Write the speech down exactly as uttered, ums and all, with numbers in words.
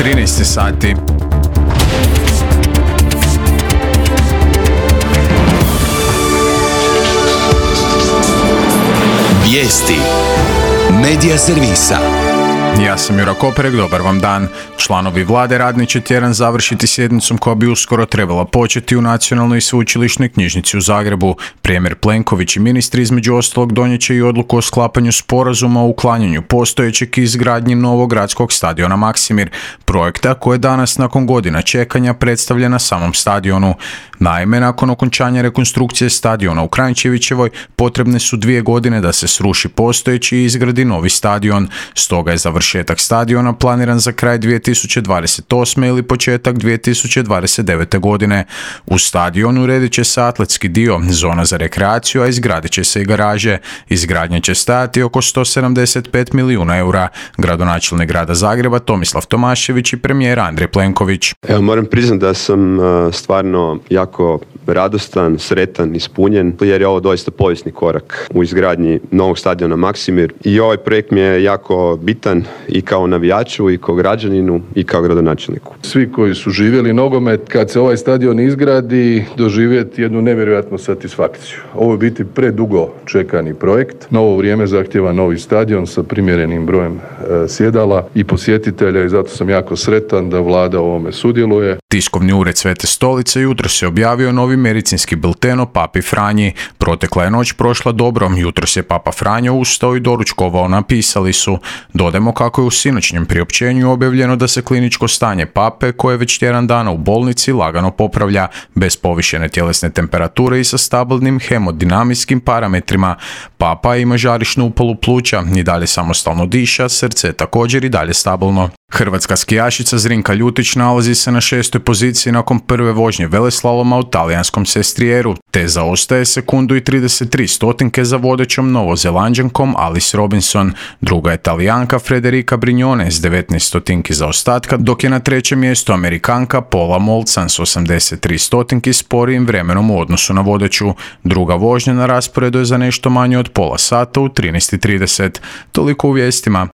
trinaest sati. Vijesti Medija servisa. Ja sam Jura Koperek, dobar vam dan. Članovi vlade radni će tjedan završiti sjednicom koja bi uskoro trebala početi u Nacionalnoj i sveučilišnoj knjižnici u Zagrebu. Premijer Plenković i ministri između ostalog donijet će i odluku o sklapanju sporazuma o uklanjanju postojećeg i izgradnji novog gradskog stadiona Maksimir, projekta koje danas nakon godina čekanja predstavlja na samom stadionu. Naime, nakon okončanja rekonstrukcije stadiona u Kranjčevićevoj potrebne su dvije godine da se sruši postojeći i izgradi novi stadion. Stoga je završetak stadiona planiran za kraj dvije tisuće dvadeset osme ili početak dvije tisuće dvadeset devete godine. U stadionu uredit će se atletski dio, zona za rekreaciju, a izgradit će se i garaže. Izgradnja će stajati oko sto sedamdeset pet milijuna eura. Gradonačelnik grada Zagreba Tomislav Tomašević i premijer Andrej Plenković. Evo, moram priznati da sam uh, stvarno jako radostan, sretan, ispunjen, jer je ovo doista povijesni korak u izgradnji novog stadiona Maksimir i ovaj projekt mi je jako bitan i kao navijaču, i kao građaninu, i kao gradonačelniku. Svi koji su živjeli nogomet, kad se ovaj stadion izgradi, doživjeti jednu nevjerojatnu satisfakciju. Ovo je biti predugo čekani projekt. Novo vrijeme zahtjeva novi stadion sa primjerenim brojem e, sjedala i posjetitelja i zato sam jako sretan da vlada u ovome sudjeluje. Tiskovni ured Svete Stolice jutros je objavio novi medicinski bilten o Papi Franji. Protekla je noć prošla dobro, jutros je Papa Franjo ustao i doručkovao, napisali su. Dodajmo kako je u sinoćnjem priopćenju objavljeno da se kliničko stanje Pape, koje već tjedan dana u bolnici, lagano popravlja, bez povišene tjelesne temperature i sa stabilnim hemodinamijskim parametrima. Papa ima žarišnu upalu pluća, i dalje samostalno diša, srce je također i dalje stabilno. Hrvatska skijašica Zrinka Ljutić nalazi se na šestoj poziciji nakon prve vožnje veleslaloma u talijanskom Sestrijeru, te zaostaje sekundu i trideset tri stotinke za vodećom Novozelanđankom Alice Robinson. Druga je Talijanka Federica Brignone s devetnaest stotinki zaostatka, dok je na trećem mjestu Amerikanka Paula Molcan s osamdeset tri stotinki sporijim vremenom u odnosu na vodeću. Druga vožnja na rasporedu je za nešto manje od pola sata u trinaest i trideset. Toliko u vijestima.